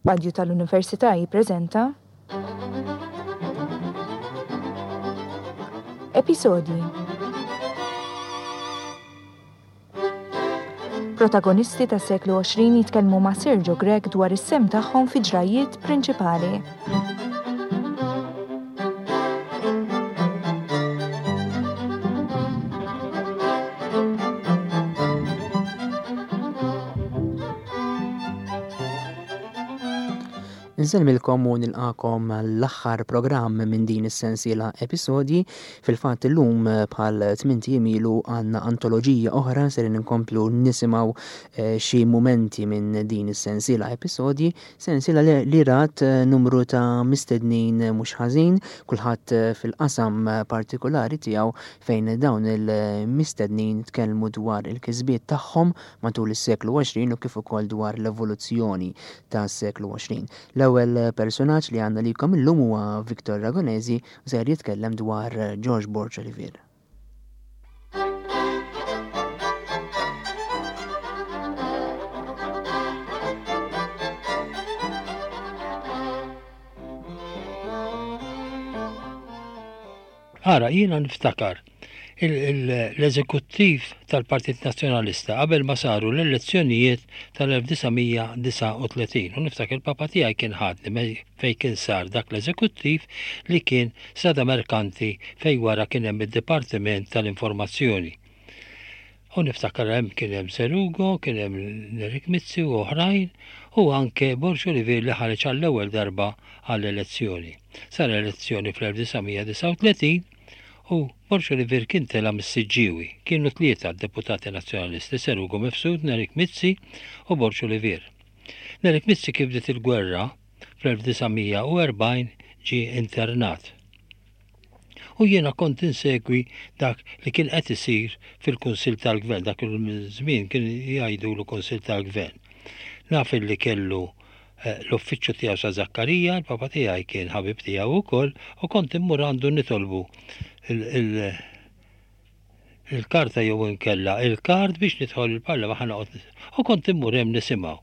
Radju tal-Università jippreżenta Episodji Protagonisti tas-seklu 20 jitkellmu ma' Sergio Grech dwar is-sehem tagħhom fi ġrajjiet prinċipali. Insellmilkom u nilqakom l-aħħar programm minn din is-sensiela episodji. Fil-fatt illum bħal tmint ijiem ilu għandna antoloġija oħra ser inkomplu nisimgħu eh, xi mumenti minn din is-sensiela episodji, sensiela li rat eh, numru ta' mistednin mhux ħażin, kulħadd eh, fil-qasam partikolari tiegħu fejn dawn il-mistednin tkellmu dwar il-kisbiet tagħhom matul is-seklu 20 u kif ukoll dwar l-evoluzzjoni tas-seklu 20. L-ewwel personaġġ li għandna likom illum huwa Victor Ragonesi u ser jitkellem dwar George Borg Olivier. Ara, jiena niftakar l-eżekuttiv tal-Partit Nazzjonalista qabel ma saru l-elezzjonijiet tal-1939 u niftakar il-papa tiegħi kien ħadni fejn kien sar dak l-eżekuttiv li kien Strada Merkanti fejn wara kien hemm id-Dipartiment tal-Informazzjoni. U niftakar hemm kien hemm Sir Ugo, kien hemm Nerik Mizzi u oħrajn u anke Borg Olivier li ħareġ għall-ewwel darba għall-elezzjoni. Sar elezzjoni fl-1939 u Borg Olivier kien tela' mis-Siġġiewi. Kienu tlieta d-deputati Nazzjonalisti, Sir Ugo Mifsud, Nerik Mizzi u Borg Olivier. Nerik Mizzi kif bdiet il-gwerra fl-1940 ġie internat. U jiena kont insegwi dak li kien qed isir fil-Kunsill tal-Gvern, dak iż-żmien kien jgħidulu Kunsill tal-Gvern. Naf illi kellu eh, l-uffiċċju tiegħu sa Zakkarija, il-papa tiegħi kien ħabib tiegħu wkoll, u kont immur għandu nitolbu il-karta jew inkella il-kard biex nidħol il-parlament ħa noqgħod u kont immur hemm nisimgħu.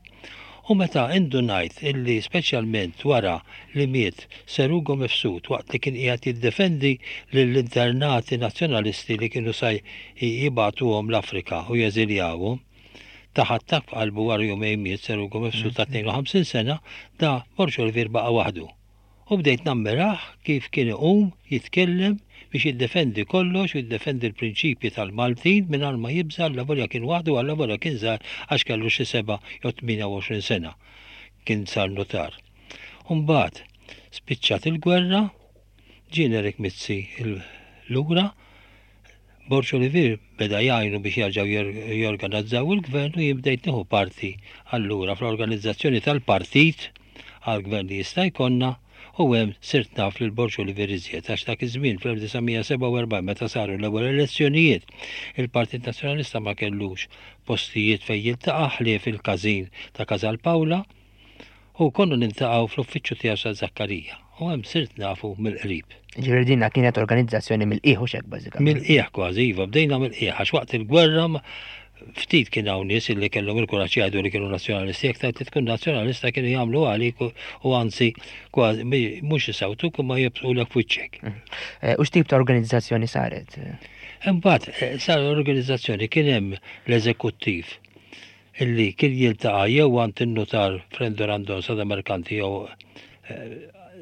U meta indunajt illi speċjalment wara li miet Sir Ugo Mifsud waqt li kien qiegħed jiddefendi lill-internati Nazzjonalisti li kienu sa jibagħtuhom l-Afrika u jeżiljawhom, ta attakk f'qalbu wara jumejn miet Sir Ugo Mifsud ta' 52 sena, da Borg Olivier baqa' waħdu. U bdejt nammirah kif kien iqum jitkellem biex jiddefendi kollox u jiddefendi l-prinċipji tal-Maltin mingħajr ma jibża' allavolja kien waħdu u allavolja kien żgħir għax kellu xi 27 sena kien sar nutar. U mbagħad spiċċat il-gwerra, ġie Nerik Mizzi lura, Borg Olivier beda jgħinu biex jerġgħu jorganazzaw il-gvern u jien bdejt nieħu parti allura fl-organizzazzjoni tal-partit għall-gvern li jista' jkollna u hemm sirt naf lil Borg Olivier iżjed għax dak iż-żmien fl-1947 meta saru l-ewwel elezzjonijiet il-Partit Nazzjonalista ma kellux postijiet fejn jiltaqa' ħlief il-każin ta' Casal Paola U konna niltaqgħu fl-uffiċċju tiegħu San Żakkarija u hemm sirt nafu mill-qrib. Jiġifieri dinha kienet organizzazzjoni mill-qiegħ hux hekk bażikament? Mill-qiegħ kważi, iva, bdejna mill-qiegħ għax waqt il-gwerra ftit kien hawn nies illi kellhom il-kuraġġ jgħidu li kienu nazzjonalisti, jekk tgħid li tkun nazzjonalista kienu jagħmlu għalik u anzi kważi mhux isawtuk imma jibsqulek f'wiċċek. Eh, u x'tip ta' organizzazzjoni saret? Imbagħad eh, sar organizzazzjoni kien hemm l-eżekuttiv illi kien jiltaqa' jew għand in-nutar Frendo Randon Sada Mercanti jew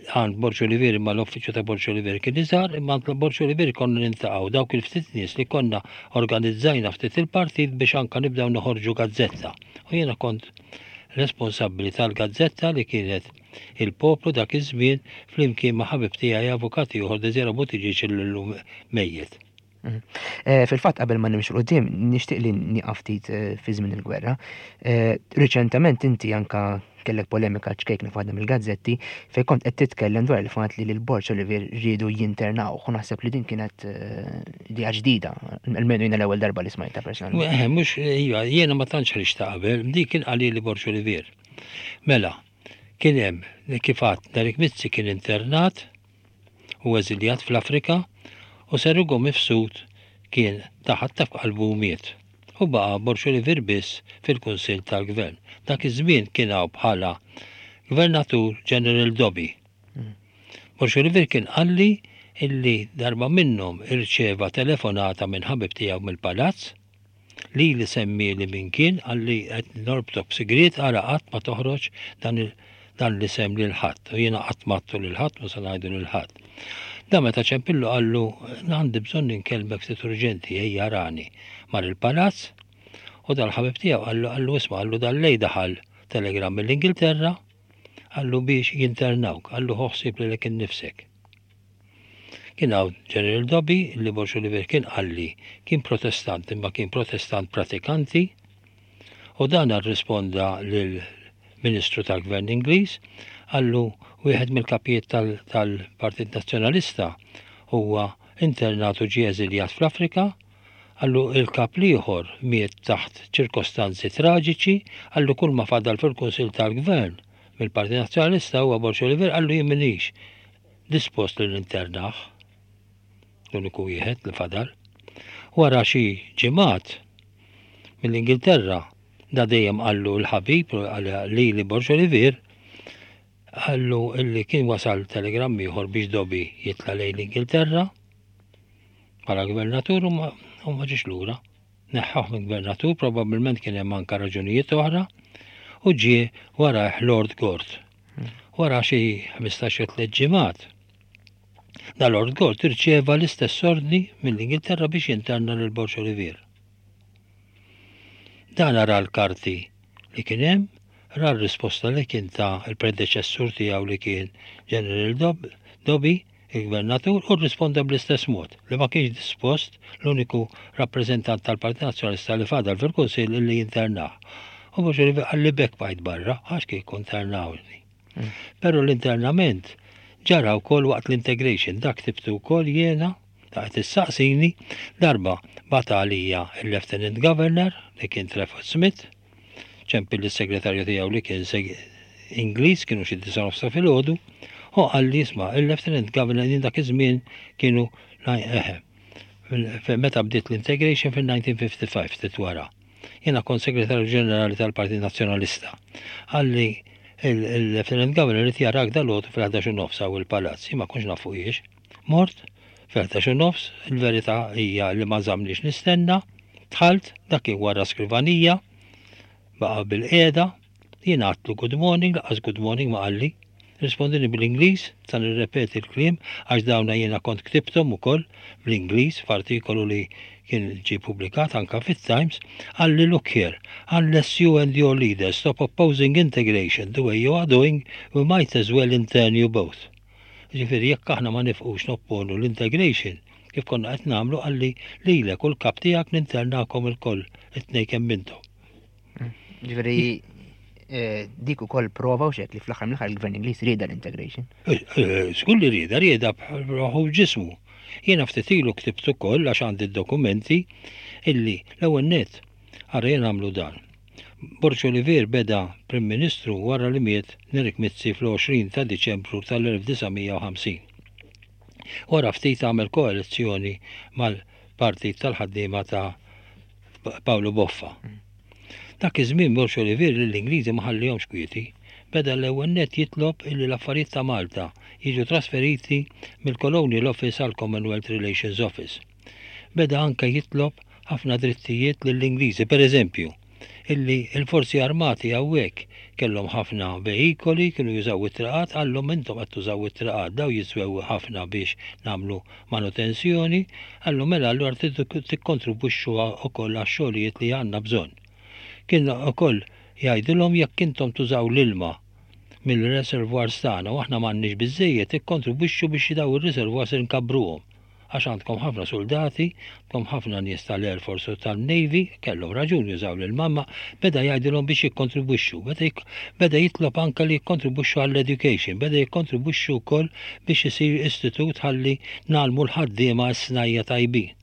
għand Borg Olivier imma l-uffiċċju ta' Borg Olivier kien iżgħar imma għand Borg Olivier konna niltaqgħu dawk il-ftit nies li konna organizzajna ftit il-partit biex anka nibdew noħorġu gazzetta. U jiena kont responsabbli tal-gazzetta li kienet Il-Poplu dak iż-żmien flimkien ma' ħabib tiegħi avukat ieħor Desiero Buttigieg li llum mejjet. Eh, fil-fatt qabel ma nimxu qudiem nixtieq li nieqaf ftit eh, fi żmien il-gwerra. Eh, riċentement inti anka kellek polemika ċkejkna f'waħda mill-gazzetti fejn kont qed titkellem dwar il-fatt li l-Borg Olivier riedu jinternaw u naħseb li din kienet idea ġdida, almenu jiena l-ewwel darba li smajta personalment. Mhux iva, jiena ma tantx ħriġt ta' qabel, dik kien qali li Borg Olivier. Mela, kien hemm kif għadt Derek Mizzi kien internat u eżiljat fl-Afrika u Sir Ugo Mifsud kien ta ħatta f'qalbu u miet. U baqa' Borg Olivier biss fil-Kunsill tal-Gvern. Dak iż-żmien kien hawn bħala. Gvernatur General Dobbie. Borg Olivier kien qalli illi darba minnhom irċieva telefonata minn ħabib tiegħu mill-palazz, lili semmieli min kien, qalli qed norbtok b'sigriet ara qatt ma toħroġ dan dan l-isem lil ħadd. U jiena qatt m'għadtu lil ħadd mhu se ngħidu lil ħadd. Dan meta ċempillu qallu għandi bżonn inkellmek ftit urġenti ejja arani. Mar il-palazz u dal-ħabib tiegħu qallu qallu isma' qallu dal-lejl daħal telegram mill-Ingilterra Qallu biex jinternawk, qallu ħu ħsieb lilek innifsek. Kien hawn General Dobbie li Borg Olivier kien qalli kien Protestant imma kien Protestant pratikanti u dan rrisponda lil Ministru tal-Gvern Ingliż qallu wieħed mill-kapijiet tal-Partit Nazzjonalista huwa internat u ġie eżiljat fl-Afrika Qallu il-kap l-ieħor miet taħt ċirkostanzi traġiċi, qallu kull ma fadal fil-Kunsill tal-Gvern mill-Partit Nazzjonalista huwa Borg Olivier, qallu jien m'iniex dispost li ninternah. L-uniku wieħed li fadal. Wara xi ġimgħat mill-Ingilterra, da dejjem qallu l-ħabib lili Borg Olivier, qallu illi kien wasal telegramm ieħor biex Dobbie jitla' lejn l-Ingilterra. Bħala gvernatur u ma ġiex lura. Neħħuh minn gvernatur, probabbilment kien hemm anka raġunijiet oħra, u ġie warajh Lord Gort. Wara xi 15 jew tliet ġimgħat, da Lord Gort irċieva l-istess ordni mill-Ingilterra biex jinterna lil Borg Olivier. Dan ra l-karti li kien hemm, ra r-risposta li kien ta l-predeċessur tiegħu li kien General Dobbie, il-Gvernatur, u rrisponda bl-istess mod, li ma kienx dispost l-uniku rappreżentant tal-Partit Nazzjonalista li fadal fil-Kunsill illi jinternah. U Borg Olivier qalli b'hekk bqajt barra, għax kieku internawni. Però l-internament ġara wkoll waqt l-integration, dak ktibtu wkoll jiena, ta' qed issaqsini, darba bagħat għalija il-Lieutenant Governor li kien Trafford Smith, ċempel lis-segretarju tiegħu li kien Ingliż, kienu xi disa' nofs ta' filgħodu, u qalli isma' il-Lieutenant Governor jien dak iż-żmien kienu eħe, meta bdiet l-integration fil-1955 ftit wara. Jiena kont Segretarju Ġenerali tal-Partit Nazzjonalista. Qalli il-Lieutenant Governor irid jarak dalgħodu fil-11 u nofs hawn il-palazz, jien ma kontx naf fuqiex. Mort, fil-11 u nofs, il-verità hija li ma żammniex nistenna, dħalt, dak kien wara skrivanija, baqa' bilqiegħda, jien għadtlu good morning, lanqas good morning ma qalli. Rispondini bl-Ingliż, sa nirrepeti l-kliem għax dawna jiena kont ktibthom ukoll bl-Ingliż f'artikolu li kien ġie pubblikat anka fit-Times, qalli look here, unless you and your leader stop opposing integration the way you are doing, we might as well intern you both. Jiġifieri jekk aħna ma nifqux nopponu l-integration, kif konna qed nagħmlu, qalli lilek u l-kap tiegħek ninternakom ilkoll it-tnejn kemm intom. Ġifieri eh, dik ukoll prova u xek li fl-aħħar mill-aħħar il-gvern Ingliż rieda l-integration. Eh, eh, żgur li rieda, rieda b'ruħu ġismu. Jiena ftit ilu ktibt ukoll għax għandi d-dokumenti illi l-ewwel nett ara jien nagħmlu dan. Borg Olivier beda Prim Ministru wara li miet Nerik Mizzi fl-20 ta' Diċembru tal-1950. Wara ftit għamel koalizzjoni mal-Partit tal-Ħaddiema ta' Pawlu Boffa. Dak iż-żmien Borg Olivier lill-Ingliżi ma ħallihomx kwieti. Beda l-ewwel nett jitlob illi l-affarijiet ta' Malta jiġu trasferiti mill-Colonial Office għall-Commonwealth Relations Office. Beda anke jitlob ħafna drittijiet lill-Ingliżi, per eżempju, illi l-forzi armati hawnhekk kellhom ħafna veikoli, kienu jużaw it-triqat, qallhom intom qed tużaw it-triqat, dawn jiswew ħafna biex nagħmlu manutensjoni, qallhom mela allura tridu tikkontribwixxu wkoll għax-xogħlijiet li għandna bżonn. Kien ukoll jgħidilhom jekk intom tużaw l-ilma mill-reservoirs tagħna u aħna m'għandniex biżżejjed, ikkontribwixxu biex dawn ir-reservoirs inkabbruhom. Għax għandkom ħafna suldati, għandkom ħafna nies tal-Air Force u tan-Navy, kellhom raġun jużaw l-ilma, imma beda jgħidilhom biex jikkontribwixxu. Beda jitlob anke li jikkontribwixxu għall-education, beda jikkontribwixxu wkoll biex isir istitut ħalli ngħallmu l-ħaddiema s-snajja' tajbin.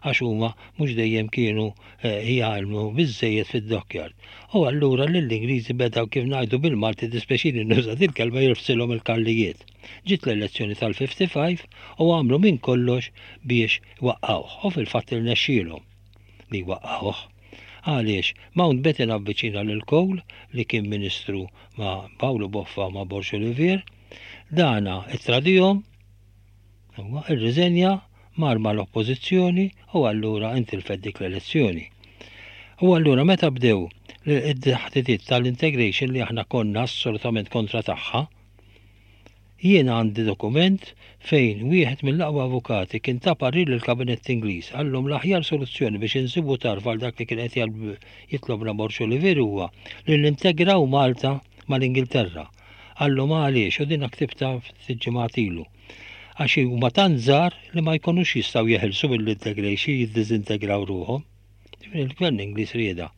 Għax huma mhux dejjem kienu jgħallmu biżżejjed fid-dockyard. U allura lill-Ingliżi bedaw kif ngħidu bil-Malti dispjaċini nuża dil-kelma jirfsilhom il-kallijiet. Ġiet l-elezzjoni tal-55 u għamlu minn kollox biex iwaqqgħuh u fil-fatt irnexxielhom li jwaqqgħuh. Għaliex Mountbatten avviċina lil Cole li kien Ministru ma' Pawlu Boffa u ma' Borg Olivier. Dana ittradihom, huwa irriżenja, mar mal-Oppożizzjoni u allura intilfet dik l-elezzjoni. U allura meta bdew id-taħditiet tal-integration li aħna konna assolutament kontra tagħha, Jiena għandi dokument fejn wieħed mill-aqwa avukati kien ta parir lill-Kabinett Ingliż, qallhom l-aħjar soluzzjoni biex insibu tarf għal dak li kien qed jitlobna Borg Olivier huwa li nintegraw Malta mal-Ingilterra. Qallhom għaliex, u dinha ktibtha ftit ġimgħat ilu, għax huma tant żgħar li ma jkunux jistgħu jeħilsu mill-integration, jiddiżintegraw ruħhom. Ġifieri l-Gvern Ingliż riedha.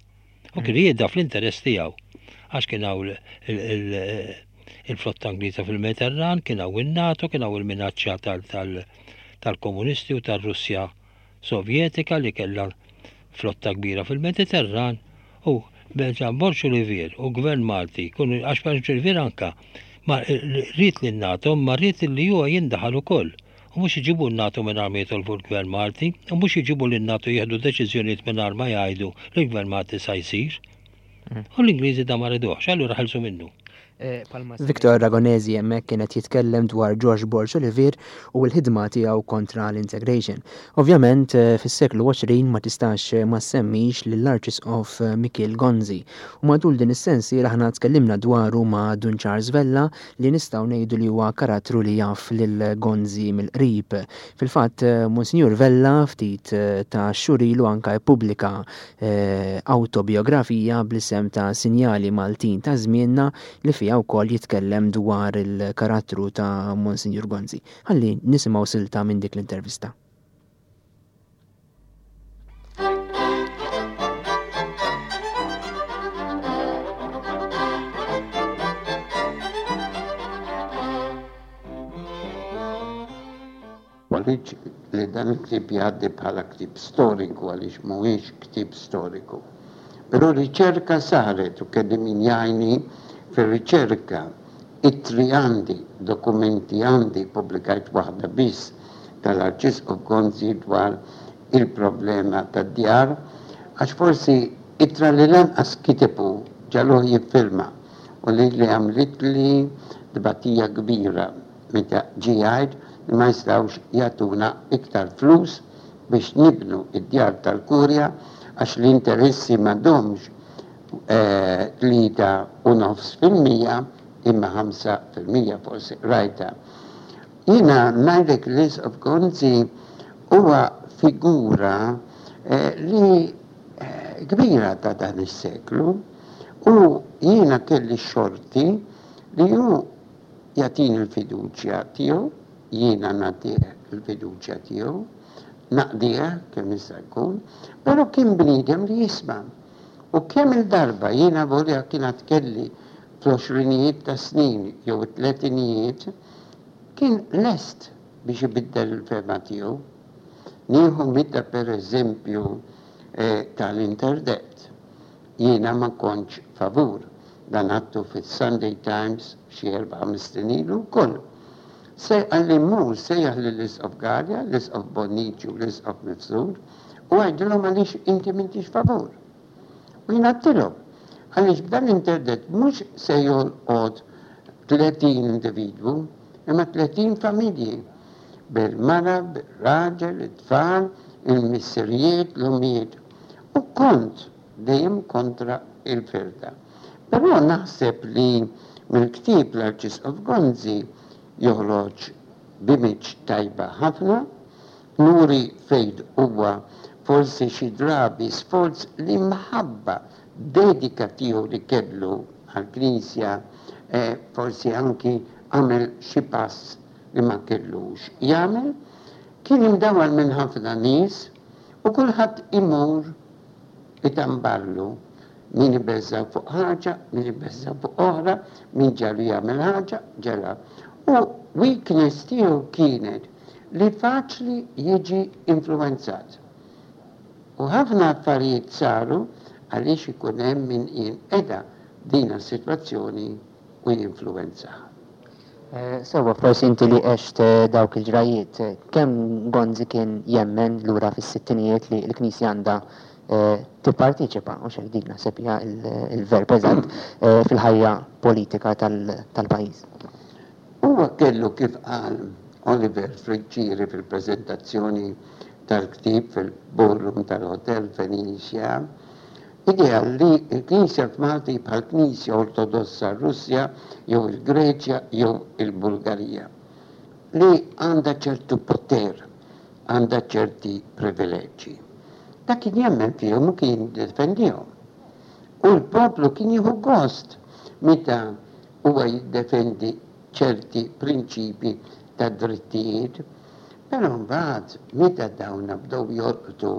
U kien riedha fl-interess tiegħu. Għax kien hawn il-flotta Ingliża fil-Mediterran, kien hawn in-NATO, kien hawn il-minaċċa tal-komunisti u tar-Russja Sovjetika li kellha flotta kbira fil-Mediterran u Meta Borg Olivier u Gvern Malti jkunu għax Borg Olivier anka ma ried lin-NATO imma ried li huwa jindaħal ukoll. U mhux iġibu n-NATO mingħajr ma jitolbu l-Gvern Malti, u mhux iġibu lin-NATO jieħdu deċiżjonijiet mingħajr ma jgħidu lill-Gvern Malti sa jsir. U l-Ingliżi dan ma riduhx, allura ħelsu minnu. Victor Ragonesi hemmhekk kien qed jitkellem dwar George Borg Olivier u l-ħidma tiegħu kontra l-integration. Ovvjament fis-seklu 20 ma tistax ma ssemmix lill-Arċisqof Mikiel Gonzi. U matul din is-sensiela aħna tkellimna dwaru ma' Dun Charles Vella li nistgħu ngħidu li huwa karattru li jaf lil Gonzi mill-qrib. Fil-fatt Monsinjur Vella ftit ta' xhur ilu anke ppubblika awtobiografija bl-isem ta' Sinjali Maltin ta' Żmienna li fiha wkoll jitkellem dwar il-karattru ta' Monsinjur Gonzi. Ħalli nisimgħu silta minn dik l-intervista. Ma rridx li dan il-ktieb jgħaddi bħala ktieb storiku għaliex mhuwiex ktieb storiku. Però riċerka saret u kelli min jgħinni fir-riċerka. Ittri għandi, dokumenti għandi, ppubblikajt waħda biss tal-Arċisqof Gonzi dwar il-problema tad-djar għax forsi ittra li lanqas kiteb hu ġagħluh jiffirma u lili għamlitli tbatija kbira. Meta ġie jgħid li ma jistgħux jagħtuna iktar flus biex nibnu d-djar tal-Kurja għax l-interessi m'għadhomx 3.5% imma 5% forsi qrajtha. Jiena ngħidlek li l-Isqof Gonzi huwa figura li kbira ta' dan is-seklu u jiena kelli x-xorti li hu Jagħtini l-fiduċja tiegħu, jiena nagħtih il-fiduċja tiegħu, naqdih kemm jista' jkun, però kien bniedem li jisma'. U kemm-il darba jiena avolja kien għad kelli fl-għoxrinijiet tas-snin jew it-tletinijiet, kien lest biex ibiddel il-fehma tiegħu. Nieħu midda per eżempju tal-interdebt. Jiena ma kontx favur. Dan għadtu fis-Sunday Times xi erba' ħames snin ilu wkoll. Se qalli mur sejjaħ lill-Isqof Galea, l-Isqof Bonnici u l-Isqof Mifsud u għidilhom għaliex inti m'intix favur. U jien għedtilhom, għaliex b'dan l-interdett mhux se jolqot 30 individwu, imma 30 familji, bil-mara, bir-raġel, it-tfal, il-missirijiet, l-ommijiet. U kont dejjem kontra l-firda. Però naħseb li mill-ktieb l-Arċisqof Gonzi joħroġ b'image tajba ħafna, nuri fejn huwa forsi xi drabi sforz l-imħabba dedika tiegħu li kellu għall-Knisja forsi anki għamel xi pass li ma kellux jagħmel. Kien imdawwar minn ħafna nies U kulħadd imur itambarlu, min ibeżżgħu fuq ħaġa, min ibeżżgħu fuq oħra, min ġagħlu jagħmel ħaġa, ġagħla. U weakness tiegħu kienet li faċli jiġi influwenzat. U ħafna affarijiet saru għaliex ikun hemm min jinqeda b'din is-sitwazzjoni u jinfluwenzaha. Sewwa, forsi inti li għext dawk il-ġrajjiet, kemm Gonzi kien jemmen lura fis-sittinijiet li l-Knisja għandha tipparteċipa, u xejn din naħseb hija l-verb eżatt, fil-ħajja politika tal-pajjiż. Huwa kellu kif qal Oliver Friggieri fil-preżentazzjoni tal-ktieb fil-ballroom tal-Hotel Phoenicia, idea li l-Knisja f'Malta hi bħall-Knisja Ortodossa r-Russja jew il-Greċja jew il-Bulgarija, li għandha ċertu poter, għandha ċerti privileġġi. Dak kien jemmen fihom u kien jiddefendihom. U l-poplu kien jieħu gost meta huwa jiddefendi ċerti prinċipji ta' drittijiet. Però mbagħad meta dawn bdew jolqtu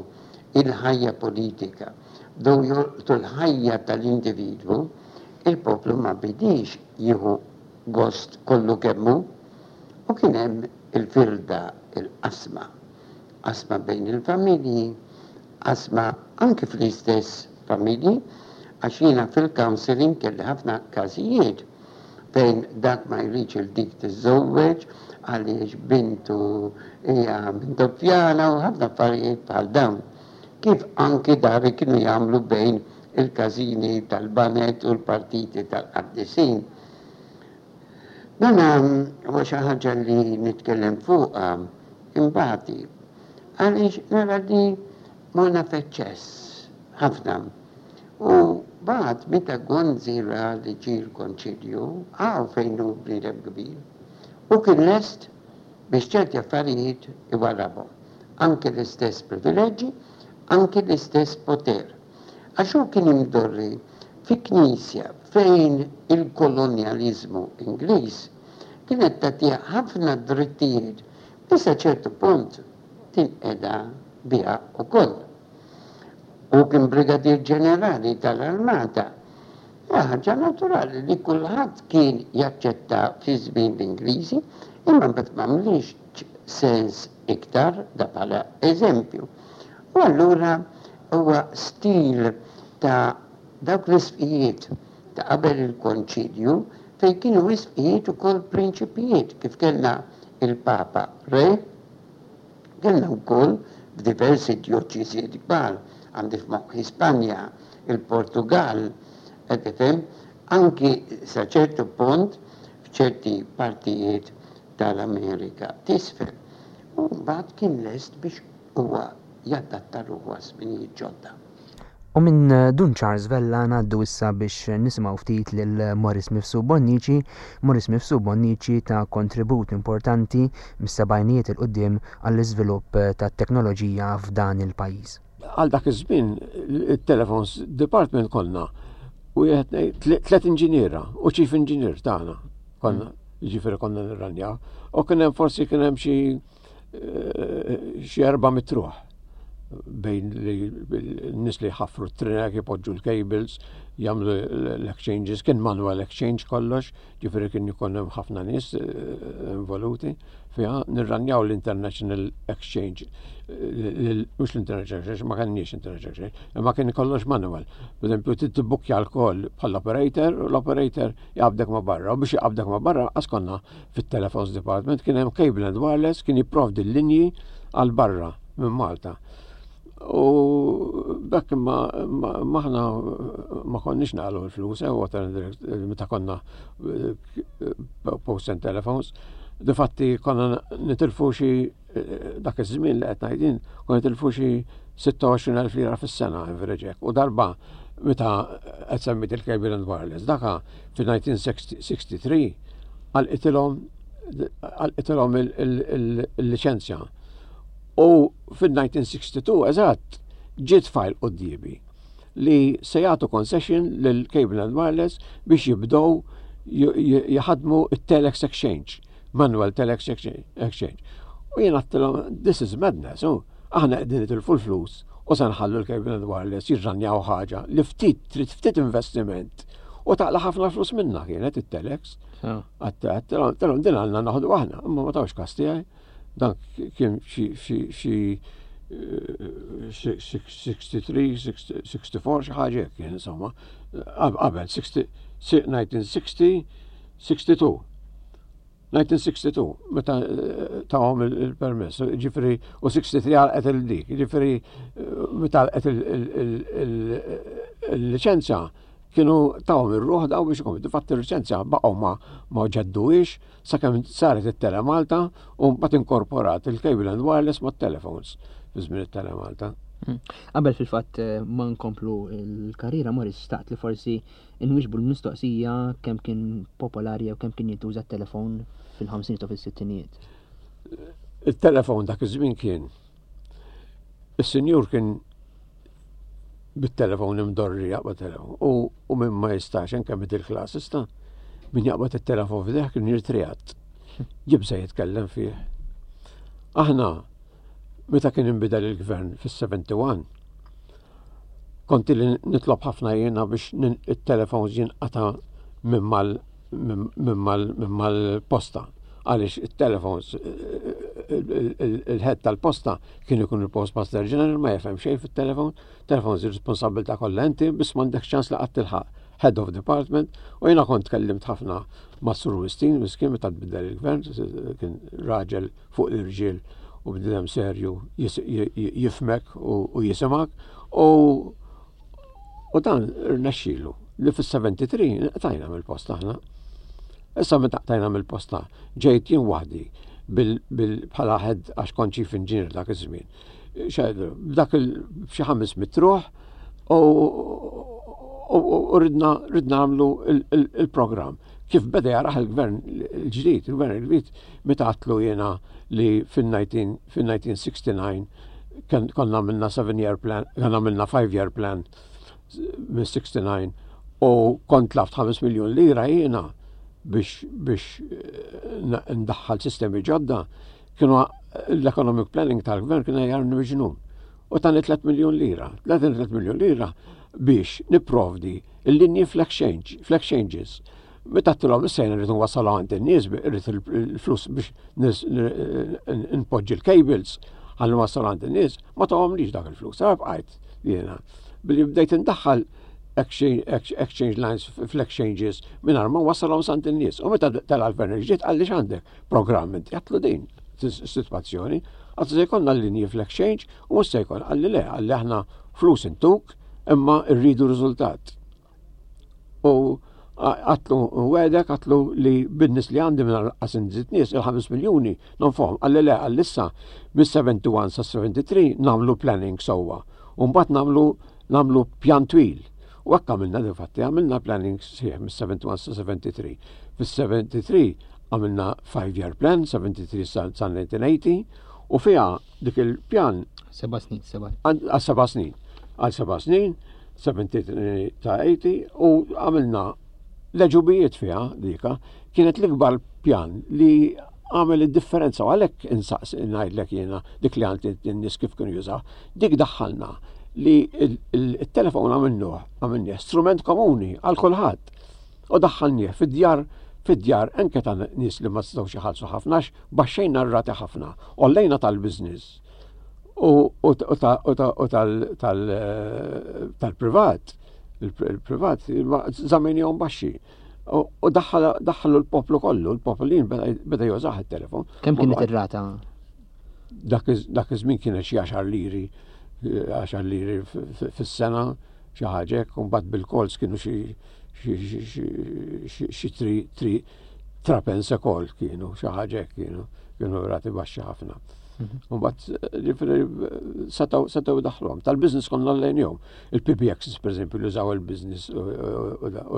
il-ħajja politika, bdew jolqtu l-ħajja tal-individwu, il-poplu ma bidiex jieħu gost kollu kemm hu u kien hemm il-firda, il-qasma. Qasma bejn il-familji, qasma anki fl-istess familji, għax jiena fil-counselling kelli ħafna każijiet fejn dak ma jridx il dik tiżżewweġ għaliex bintu hija mintoffjana u ħafna affarijiet bħal dawn. Kif anki dari kienu jagħmlu bejn il-każini tal-baned u l-partiti tal-qaddisin. Dan huwa xi ħaġa li nitkellem fuqha imbagħad għaliex nara li morna f'eċċess ħafna. U mbagħad meta Gonzi ra li ġie l-Konċilju, hawn fejn hu bniedem kbir, hu kien lest biex ċerti affarijiet iwarrabhom, anke l-istess privileġġi, anke l-istess poter. Għax hu kien imdorri fi knisja fejn il-kolonjaliżmu Ingliż kienet tagħtiha ħafna drittijiet li sa ċertu punt tinqeda biha wkoll. Hu kien Brigadier Ġenerali tal-Armata. Hija ħaġa naturali li kulħadd kien jaċċetta fi żmien l-Ingliżi, imma mbagħad m'għamlitx sens iktar, da bħala eżempju. U allura huwa stil ta' dawk l-isqfijiet ta' qabel il-Konċilju fejn kienu isqfijiet ukoll prinċipijiet kif kellna il-Papa Re, kellna wkoll f'diversi djoċesijiet kbar, għandi f'moħħi Spanja, il-Portugall, qed tifhem, anki sa ċertu punt f'ċerti partijiet tal-Amerika t'Isfel. U mbagħad kien lest biex huwa jadatta ruħu għaż-żminijiet ġodda. U minn Dun Charles Vella ngħaddu issa biex nisimgħu ftit lil Maurice Mifsud Bonnici. Maurice Mifsud Bonnici ta kontribut importanti mis-sebgħinijiet 'il quddiem għall-iżvilupp tat-teknoloġija f'dan il-pajjiż. Għal dak iż-żmien it-Telephones Department konna wieħed tliet inġiniera u chief engineer tagħna konna, jiġifieri konna nirranjaw. U kien hemm forsi kien hemm xi xi 400 ruħ bejn li n-nies li ħafru t-trinek, ipoġġu l-cables, jagħmlu l-exchanges, kien manual exchange kollox, ġifieri kien ikun hemm ħafna nies eh, involuti fiha, nirranjaw l-International Exchange, mhux l-International Exchange, ma kenniex International Exchange, imma kien kollox manual. Per eżempju, tibbukkja l-koll bħall-operator, u l-operator jaqbdek ma barra, u biex jaqbdek ma barra, għaskonna Fit-Telephones Department kien hemm Cable and Wireless kien jipprovdi l-linji għal barra minn Malta. U bekk ma maħna ma konniex naqlu l-flus, eh, water meta konna eh, post and telephones. Difatti konna nitilfu xi eh, dak iż-żmien li qed ngħidin, konna nitilfu xi 26,000 lira fis-sena average hekk. U darba meta qed semmit il-Cable and Wireless, daka fi-1963 għalqitilhom għalqitilhom il-liċenzja. U fil-1962 eżatt ġiet fajl quddiemi li se jagħtu concession lil Cable and Wireless biex jibdew jaħdmu it-Telex Exchange, manual Telex Exchange. U jien għattilhom, this is madness, oh. aħna qegħdin nitilfu l-flus u se nħallu l-Cable and Wireless jirranjaw ħaġa li ftit trid ftit investiment u taqla ħafna flus minna kienet it-telex. Għattilhom din għandna naħdu aħna, imma ma tawx kas tiegħi. Dan kien xi 63, 64 xi ħaġa kien insomma. Qabel 1960, 62. 1962, meta eh, tawhom il-permess, ġifieri u 63 għalqet il-dik, ġifieri eh, meta għalqet il-liċenzja kienu tawhom ir-ruħ daw biex ikun. Difatt il-liċenzja baqgħu ma ma ġedduhiex sakemm saret it-Tele Malta u mbagħad inkorporat il-cable and wireless mat-telephones fi żmien it-Tele Malta. Hmm. Qabel fil-fatt eh, ma nkomplu l-karriera Morris staqt li forsi Inwieġbu l-mistoqsija kemm kien popolari jew kemm kien jintuża t-telefon fil-ħamsiniet u fis-sittinijiet. Il-telefon dak iż-żmien kien is-sinjur kien bit-telefon imdorri jaqbad telefon u, u minn ma jistax anke middle class ista min jaqbad it-telefon f'deħ kien jirtrijat. Jibża jitkellem fih. Aħna meta kien inbidel il-gvern fis-71 Kont ili nitlob ħafna jiena biex it-telefons jinqata' minn mal minn mal-posta. Għaliex it-telefons il-head tal-posta kien ikun il-postmaster general ma jefhem xejn fit-telefon, telefons ir-responsabbiltà kollha inti biss m'għandek ċans li qatt tilħaq head of department u jiena kont tkellimt ħafna ma' Sur Wistin, miskin meta tbiddel il-gvern, kien raġel fuq l-irġiel u bniedem serju jifmek u jisimak u u dan rnexxielu li fis-73 qtajna mill-post aħna. Issa meta qtajna mill-posta ġejt jien waħdi bħala head għax kont chief engineer dak iż-żmien. Dak il xi ħames mitruħ u ridna nagħmlu il-programm. Kif beda jaraħ il-gvern il-ġdid, il-gvern il-ġdid Meta għadtlu jiena li fin-1969 konna għamilna 7 year plan, konna għamilna 5 year plan minn 69 u kont tlaft 5 miljon lira jiena biex biex eh, ndaħħal sistemi ġodda, kienu l-economic planning tal-gvern kien jarni miġnun. U tani 3 miljon lira. 3 miljon lira biex niprovdi il-linji fl-exchange, fl-exchanges. Meta għedtilhom issa jiena rrid nwassalha għand in-nies, irrid il-flus biex npoġġi l-cables ħalli nwassal għand in-nies, ma tawhomlix dak il-flus. Ara bqajt jiena billi bdejt indaħħal exchange lines fl-exchanges mingħajr ma wassalhom sant in-nies. U meta tela' l-gvern il-ġdid qalli x'għandek programm inti għatlu din is-sitwazzjoni. Għatlu se jkollna l-linji fl-exchange u mhux se jkollna qalli le, qalli aħna flus intuk imma rridu riżultat. U għatlu wedek, għatlu li bin-nies li għandi minn għas nżid nies, il-5 miljuni nonfohom. Għalli le, għallissa mis-71 sa 73 namlu planning sewwa. U mbagħad namlu namlu pjan twil. U hekk għamilna difatti, għamilna planning sħiħ mis-71 sa 73. Fis-73 għamilna 5 year plan, 73 sa 1980, u fiha dik il-pjan. Seba' snin, seba'. Għal seba' snin. Għal seba' snin, 73 ta' 80 u għamilna l-eġubijiet fiha dika kienet l-ikbar pjan li għamel id-differenza u għalhekk insaqs ngħidlek jiena dik li għandi n-nies kif kienu jużaw. Dik daħħalna li il-telefon għamilnuh, għamilnieh strument komuni għal kulħadd. U daħħalnieh fid-djar fid-djar anke ta' nies li ma setgħux iħallsu ħafna baxxejna r-rati ħafna, għollejna tal-business u tal-privat, il-privat żammejnihom baxxi. U daħħalu l-poplu kollu, l-popolin beda jużah it-telefon. Kemm kienet ir-rata? Dak iż-żmien kienet xi 10 liri, 10 liri fis-sena, xi ħaġa hekk, u mbagħad bil-calls kienu xi xi tri trapens ukoll kienu, xi ħaġa hekk kienu, kienu rati baxxi ħafna. Mhm. U mbagħad ġifieri setgħu daħlhom. Tal-business konna l-lejnihom. Il-PBXs pereżempju li użaw il-business u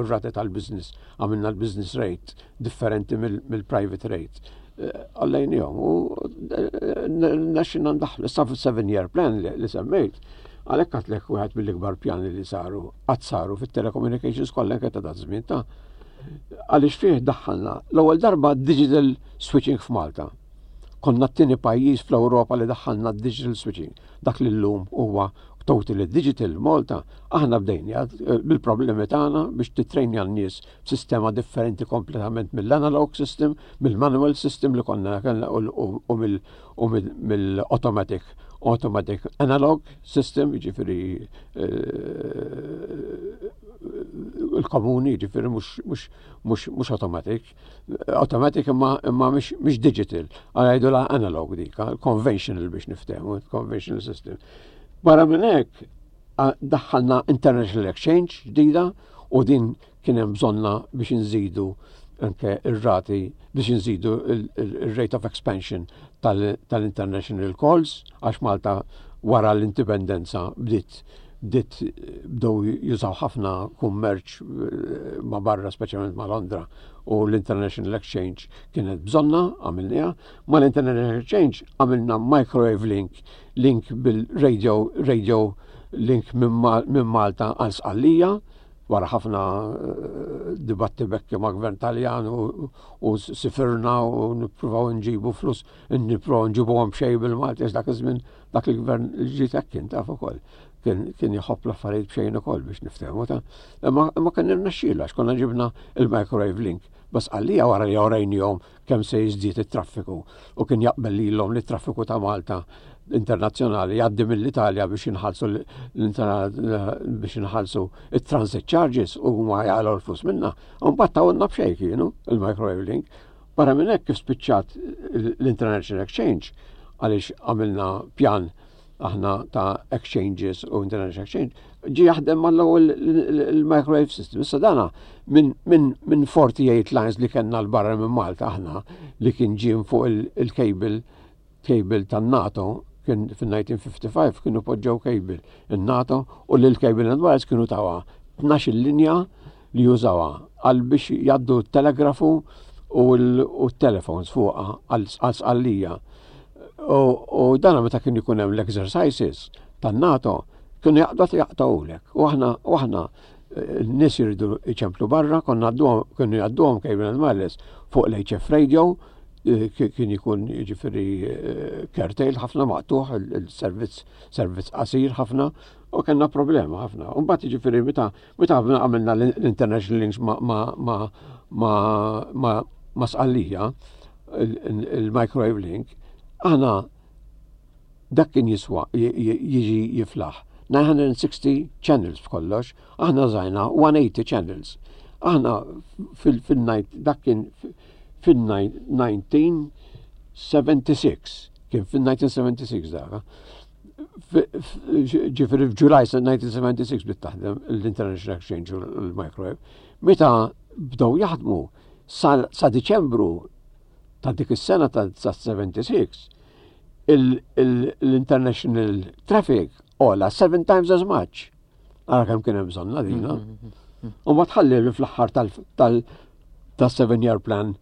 r-rati tal-business għamilna l-business rate differenti mill-private rate. Eh, għallejnihom u eh, nexxinna ndaħlu issa fis-seven year plan li semmejt. Għalhekk għatlek wieħed mill-ikbar pjani li saru, qatt saru fit-telecommunications kollha anke ta' żmien ta' għaliex fih daħħalna l-ewwel darba digital switching f'Malta. Konna t-tieni pajjiż fl-Ewropa li daħħalna digital switching. Dak li llum huwa totally digital Malta, aħna bdejna eh, bil-problemi tagħna biex titrejnja n-nies b'sistema differenti kompletament mill-analog system, mill-manual system li konna kellna u mill-automatic automatic analog system, jiġifieri eh, il-komuni, ġifieri mhux automatic. Automatic imma imma mhix digital, għal jgħidu la analog dik, conventional biex niftehmu, conventional system. Barra minn hekk daħħalna International Exchange ġdida u din kien hemm bżonna biex inżidu anke ir-rati biex inżidu il-rate of expansion tal-international calls għax Malta wara l-indipendenza bdiet bdiet bdew jużaw ħafna kummerċ eh, ma' barra speċjalment ma' Londra u l-International Exchange kienet bżonna għamilniha. Ma' l-International Exchange għamilna microwave link, link bil-radio radio link minn Malta għal Sqallija wara ħafna eh, dibatti bekki ma' gvern Taljan u sifirna u nippruvaw nġibu flus, nippruvaw nġibu għom xej bil-Malti, dak iż-żmien dak il-gvern ġiet hekk kien taf ukoll. Kien jħobb l-affarijiet b'xejn ukoll biex niftehmu ta' imma kien irnexxielu għax konna ġibna il-microwave link. Bas għalija wara li orejnihom kemm se jiżdied it-traffiku u kien jaqbel lilhom li t-traffiku ta' Malta internazzjonali jgħaddi mill-Italja biex inħallsu biex inħallsu it-transit charges u ma jaqalgħu l-flus minna. U mbagħad tawna b'xejn kienu il-microwave link. Barra minn hekk kif spiċċat l-International Exchange għaliex għamilna pjan aħna ta' exchanges u international exchange, ġi jaħdem mal-ewwel il-microwave system. Issa dana minn min, min 48 lines li kellna l-barra minn Malta aħna li kien ġie fuq il-cable cable tan-NATO kien fil-1955 kienu poġġew cable in-NATO u li l-cable and wires kienu tawa 12 linja li jużawha għal biex jgħaddu t-telegrafu u t-telefons fuqha għal sqallija. U dana meta kien ikun hemm l-exercises tan-NATO kienu jaqbdu jaqtgħulek. U aħna u aħna eh, n-nies jridu jċemplu barra, konna kienu jgħadduhom cable and wireless fuq l-HF radio, eh, kien ikun jiġifieri eh, curtail ħafna maqtuħ il-servizz servizz qasir ħafna u kellna problema ħafna. U mbagħad jiġifieri meta Meta għamilna l-International Links ma' Sqallija, il-microwave link, aħna dak kien jiswa jiġi jiflaħ 960 channels b'kollox, aħna żajna 180 channels. Aħna fil-night dak kien fil-1976, kien fil-1976 dak. Ġifieri f'Ġulaj 1976 bdiet taħdem l-International Exchange u l-Microwave. Meta bdew jaħdmu sa Diċembru ta' dik is-sena ta' 76 l-international traffic ola seven times as much. Ara kemm kien hemm bżonna dina. Mm, mm, mm, U ma tħalli li fl-aħħar tal-seven year plan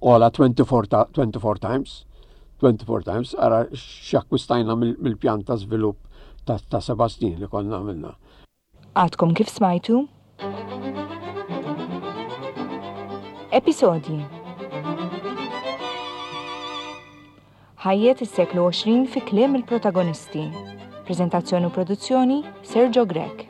ola 24, 24 times. 24 times, ara x'akkwistajna mill-pjan ta' żvilupp ta' seba' snin li konna għamilna. Għadkom kif smajtu? Episodji Ħajjet is-seklu 20 fi kliem il-protagonisti. Preżentazzjoni u produzzjoni Sergio Grech.